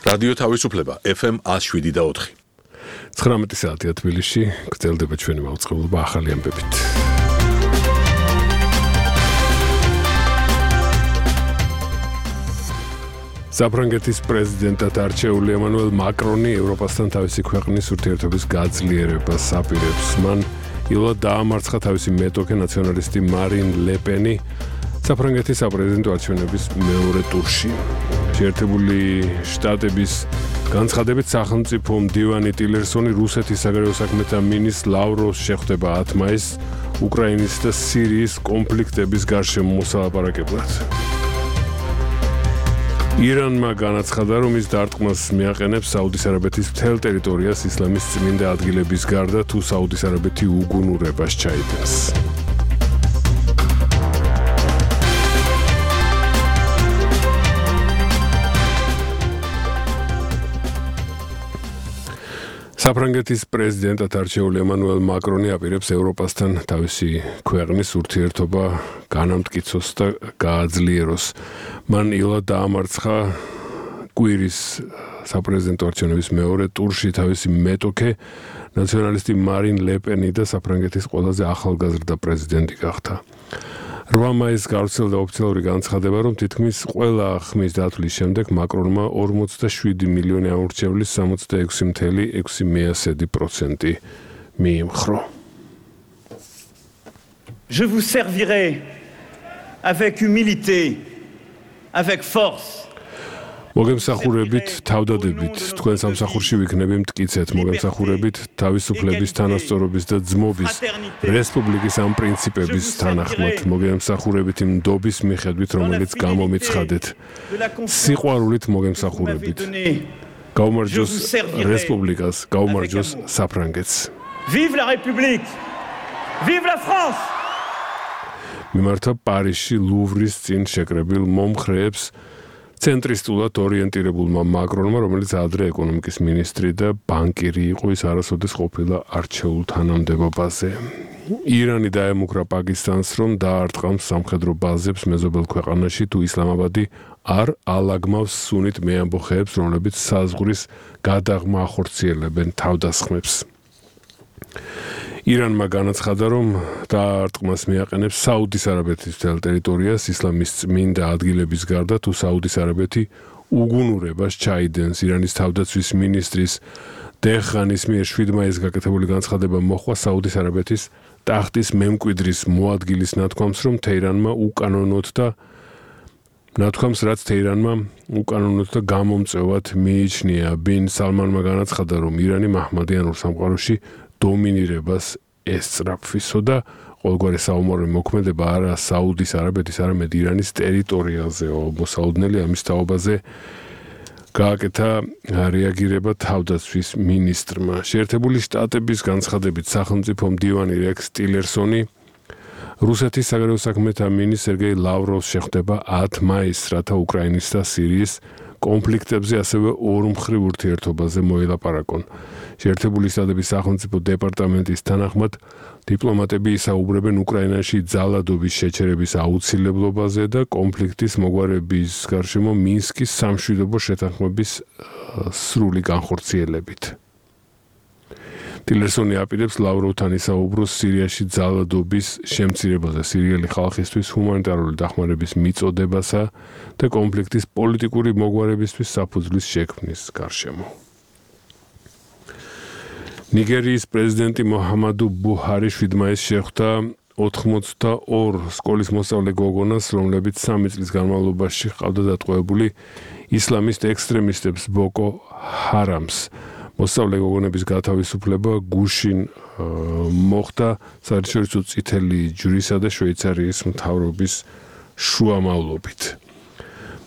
რადიო თავისუფლება FM 107.4. 19 საათია თბილისში, გრძელდება ჩვენი მაუწყებლობა ახალი ამბებით. საფრანგეთის პრეზიდენტად არჩეული ემანუელ მაკრონი ევროპასთან თავისი ქვეყნის ურთიერთობის გაძლიერებას აპირებს. მან იულად დაამარცხა თავისი მეტოქე ნაციონალისტი მარინ ლე პენი საფრანგეთის საპრეზიდენტო არჩევნების მეორე ტურში. შეერთებული შტატების განცხადებით სახელმწიფო მდივანი ტილერსონი რუსეთის საგარეო საქმეთა მინისტრ ლავროვს შეხვდება 10 მაისს უკრაინის და სირიის კონფლიქტების გარშემო მოსალაპარაკებლად. ირანმა განაცხადა, რომ ის დარტყმას მიაყენებს საუდის არაბეთის მთელ ტერიტორიას ისლამის წმინდა ადგილების გარდა, თუ საუდის არაბეთი უგუნურებას ჩაიდენს. საფრანგეთის პრეზიდენტად არჩეული ემანუელ მაკრონი აპირებს ევროპასთან თავისი ქვეყნის ურთიერთობა განამტკიცოს და გააძლიეროს. მან იულად დაამარცხა კვირის საპრეზიდენტო არჩევნების მეორე ტურში თავისი მეტოქე ნაციონალისტი მარინ ლე პენი და საფრანგეთის ყველაზე ახალგაზრდა პრეზიდენტი გახდა. 8 მაისს გავრცელდა ოფიციალური განცხადება, რომ თითქმის ყველა ხმის დათვლის შემდეგ მაკრონმა 47 მილიონი ამორჩევლის 66,6% მიიმხრო. Je vous servirai avec humilité, avec force. მოგემსახურებით თავდადებით, თქვენ სამსახურში ვიქნები მტკიცეთ, მოგემსახურებით თავისუფლების, თანასწორობის და ძმობის, რესპუბლიკის ამ პრინციპების თანახმად, მოგემსახურებით იმ ნდობის მიხედვით, რომელიც გამომიცხადეთ, სიყვარულით მოგემსახურებით. გაუმარჯოს რესპუბლიკას, გაუმარჯოს საფრანგეთს. Vive la République! Vive la France! მიმართა პარიზში ლუვრის წინ შეკრებილ მომხრეებს ცენტრისტულად ორიენტირებულმა მაკრონმა, რომელიც ადრე ეკონომიკის მინისტრი და ბანკირი იყო, ის არასოდეს ყოფილა არჩეულ თანამდებობაზე. ირანი დაემუქრა პაკისტანს, რომ დაარტყამს სამხედრო ბაზებს მეზობელ ქვეყანაში, თუ ისლამაბადი არ ალაგმავს სუნით მეამბოხეებს, რომლებიც საზღვრის გადაღმა ახორციელებენ თავდასხმებს. ირანმა განაცხადა, რომ დაარტყმას მიაყენებს საუდის არაბეთის მთელ ტერიტორიას ისლამის წმინდა ადგილების გარდა, თუ საუდის არაბეთი უგუნურებას ჩაიდენს. ირანის თავდაცვის მინისტრის დეხანის მიერ 7 მაისს გაკეთებული განცხადება მოჰყვა საუდის არაბეთის ტახტის მემკვიდრის მოადგილის ნათქვამს, რომ თეირანმა უკანონოდ და ნათქვამს, რაც თეირანმა უკანონოდ და გამომწვევად მიიჩნია. ბინ სალმანმა განაცხადა, რომ ირანი მაჰმადიანურ სამყაროში დომინირებას ესწრაფვისო და ყოველგვარი საომარი მოქმედება არა საუდის არაბეთის, არამედ ირანის ტერიტორიაზეო. მოსაუდნელი ამის თაობაზე გააკეთა რეაგირება თავდაცვის მინისტრმა. შეერთებული შტატების განცხადებით სახელმწიფო მდივანი რექს ტილერსონი რუსეთის საგარეო საქმეთა მინისტრ სერგეი ლავროვს შეხვდება 10 მაისს, რათა უკრაინის და სირიის კონფლიქტებზე ასევე ორმხრივ ურთიერთობაზე მოელაპარაკონ. შეერთებული შტატების სახელმწიფო დეპარტამენტის თანახმად, დიპლომატები ისაუბრებენ უკრაინაში ძალადობის შეჩერების აუცილებლობაზე და კონფლიქტის მოგვარების გარშემო მინსკის სამშვიდობო შეთანხმების სრული განხორციელებით. ტილერსონი აპირებს ლავროვთან ისაუბროს სირიაში ძალადობის შემცირებაზე, სირიელი ხალხისთვის ჰუმანიტარული დახმარების მიწოდებასა და კონფლიქტის პოლიტიკური მოგვარებისთვის საფუძვლის შექმნის გარშემო. ნიგერიის პრეზიდენტი მოჰამადუ ბუჰარი 7 მაისს შეხვდა 82 სკოლის მოსწავლე გოგონას, რომლებიც 3 წლის განმავლობაში ჰყავდა დატყვევებული ისლამისტ ექსტრემისტებს ბოკო ჰარამს. მოსწავლე გოგონების გათავისუფლება გუშინ მოხდა საერთაშორისო წითელი ჯვრისა და შვეიცარიის მთავრობის შუამავლობით.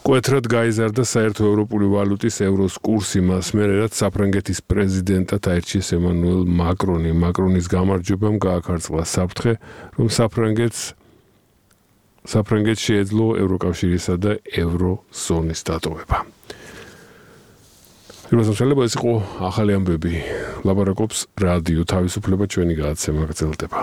მკვეთრად გაიზარდა საერთო ევროპული ვალუტის ევროს კურსი მას მერე, რაც საფრანგეთის პრეზიდენტად აირჩიეს ემანუელ მაკრონი. მაკრონის გამარჯვებამ გააქარწყლა საფრთხე, რომ საფრანგეთს შეეძლო ევროკავშირისა და ევროზონის დატოვება. პირველსამშალება ეს იყო ახალი ამბები. ლაპარაკობს რადიო თავისუფლება, ჩვენი გადაცემა გრძელდება.